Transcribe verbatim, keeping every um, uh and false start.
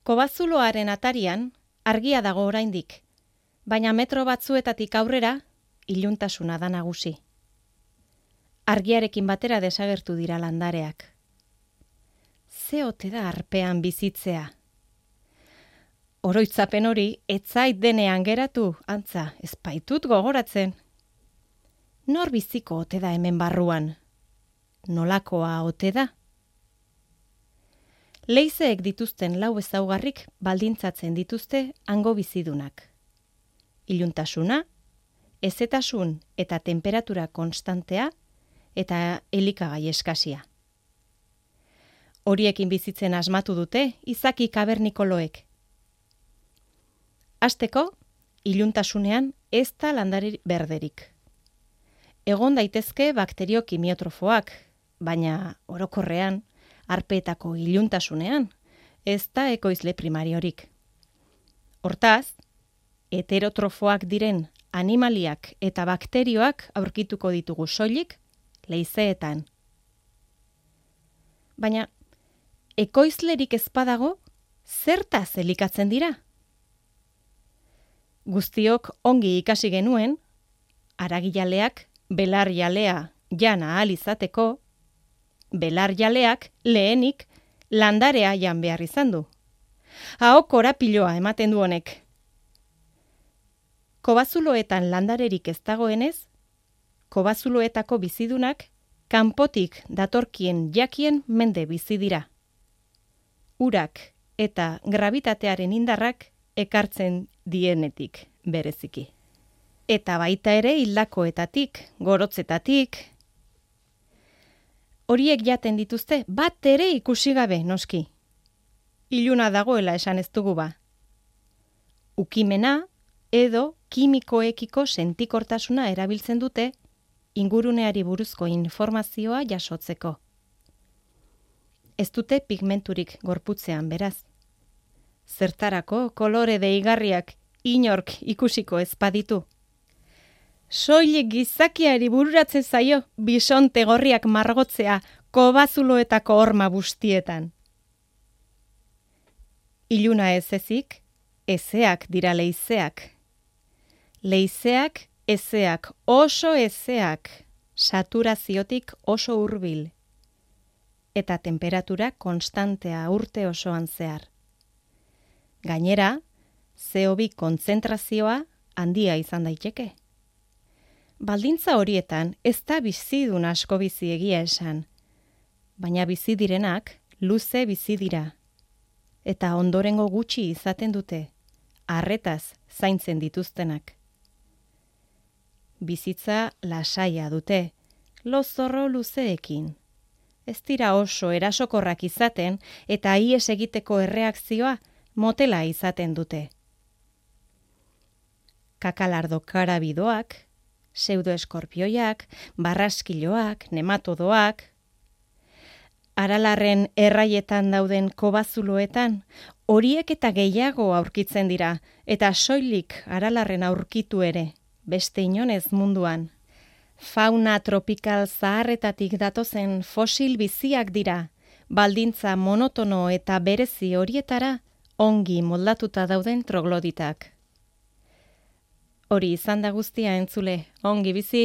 Kobazuloaren atarian argia dago oraindik, baina metro batzuetatik aurrera iluntasuna da nagusi. Argiarekin batera desagertu dira landareak. Ze ote da arpean bizitzea? Oroitzapen hori etzait denean geratu, antza, ez baitut gogoratzen. Nor biziko ote da hemen barruan? Nolakoa ote da? Leizeek dituzten lau ezaugarrik baldintzatzen dituzte hango bizidunak. Iluntasuna, hezetasun eta temperatura konstantea eta elikagai eskasia. Horiekin bizitzen asmatu dute izaki kabernikoloek. Hasteko, iluntasunean ez da landare berderik. Egon daitezke bakterio kimiotrofoak, baina orokorrean, arpeetako iluntasunean, ez da ekoizle primariorik. Hortaz, heterotrofoak diren animaliak eta bakterioak aurkituko ditugu soilik leizeetan. Baina, ekoizlerik ez badago, zertaz elikatzen dira? Guztiok ongi ikasi genuen, haragijaleak belarjalea jana ahal izateko, belarjaleak lehenik landarea jan behar izan du. Aho korapiloa ematen du honek. Kobazuloetan landarerik ez dagoenez, kobazuloetako bizidunak kanpotik datorkien jakien mende bizi dira. Urak eta gravitatearen indarrak ekartzen dienetik bereziki. Eta baita ere hildakoetatik, gorotzetatik. Horiek jaten dituzte bat ere ikusi gabe noski. Iluna dagoela esan ez dugu ba. Ukimena edo kimikoekiko sentikortasuna erabiltzen dute inguruneari buruzko informazioa jasotzeko. Ez dute pigmenturik gorputzean beraz. Zertarako kolore deigarriak inork ikusiko ez baditu. Soilik gizakiari bururatzen zaio bisonte gorriak margotzea kobazuloetako horma bustietan. Iluna ez ezik, ezeak dira leizeak. Leizeak, ezeak, oso ezeak, saturaziotik oso hurbil. Eta temperatura konstantea urte osoan zehar. Gainera, C O bi kontzentrazioa handia izan daiteke. Baldintza horietan ez da bizidun asko bizi egia esan, baina bizi direnak luze bizi dira. Eta ondorengo gutxi izaten dute, arretaz zaintzen dituztenak. Bizitza lasaia dute, lozorro luzeekin. Ez dira oso erasokorrak izaten eta ihes egiteko erreakzioa motela izaten dute. Kakalardo karabidoak, pseudoeskorpioiak, barraskiloak, nematodoak, aralarren erraietan dauden kobazuloetan, horiek eta gehiago aurkitzen dira, eta soilik aralarren aurkitu ere, beste inonez munduan. Fauna tropikal zaharretatik datozen fosil biziak dira, baldintza monotono eta berezi horietara ongi moldatuta dauden trogloditak. Hori izan da guztia entzule, ongi bizi!